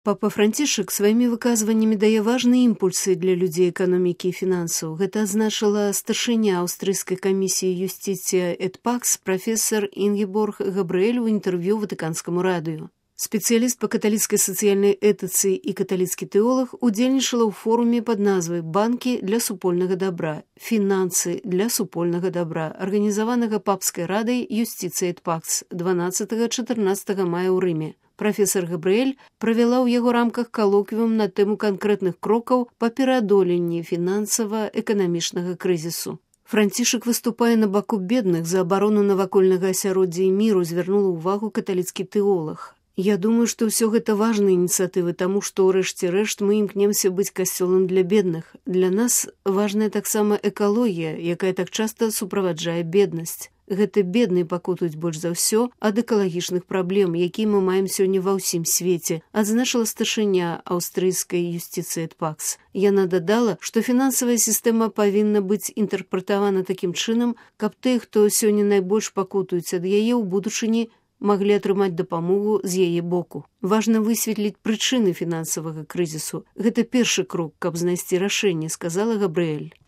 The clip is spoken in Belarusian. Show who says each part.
Speaker 1: Папа Францішак сваімі выказваннямі дае важныя імпульсы для людзей эканомікі і фінансаў. Гэта азначыла старшыня аўстрыйскай камісіі юстиція Эдпакс прафесор Інгеборг Габрыэль у інтэрв'ю Ватыканскаму радыё. Спецыяліст па каталіцкай сацыяльнай этыцы і каталіцкі тэолаг удзельнічала ў форуме пад назвай «Банкі для супольнага дабра. Фінансы для супольнага дабра», арганізаванага папскай радай юстицыя Эдпакс 12-14 мая ў Рыме. Прафесор Габрыэль правяла ў яго рамках калоквіум на тэму канкрэтных крокаў па пераадоленні фінансава-эканамічнага крызісу. Францішак выступае на баку бедных за абарону навакольнага асяроддзя і міру, звярнула ўвагу каталіцкі тэолаг. Я думаю, што ўсё гэта важныя ініцыятывы, таму што ў рэшце рэшт мы імкнемся быць касцёлам для бедных. Для нас важная таксама экалогія, якая так часта суправаджае беднасць. Гэта бедныя пакутаюць больш за ўсё ад экалагічных праблем, якія мы маем сёння ва ўсім свеце, адзначыла старшыня аўстрыйскай юстицыі Эдпакс. Яна дадала, што фінансавая сістэма павінна быць інтэрпрэтавана такім чынам, каб тыя, хто сёння найбольш пакутаюць ад яе ў будучыні, маглі атрымаць дапамогу з яе боку. Важна высветліць прычыны фінансавага крызісу. Гэта першы крок, каб знайсці рашэнне, сказала Габрыэль.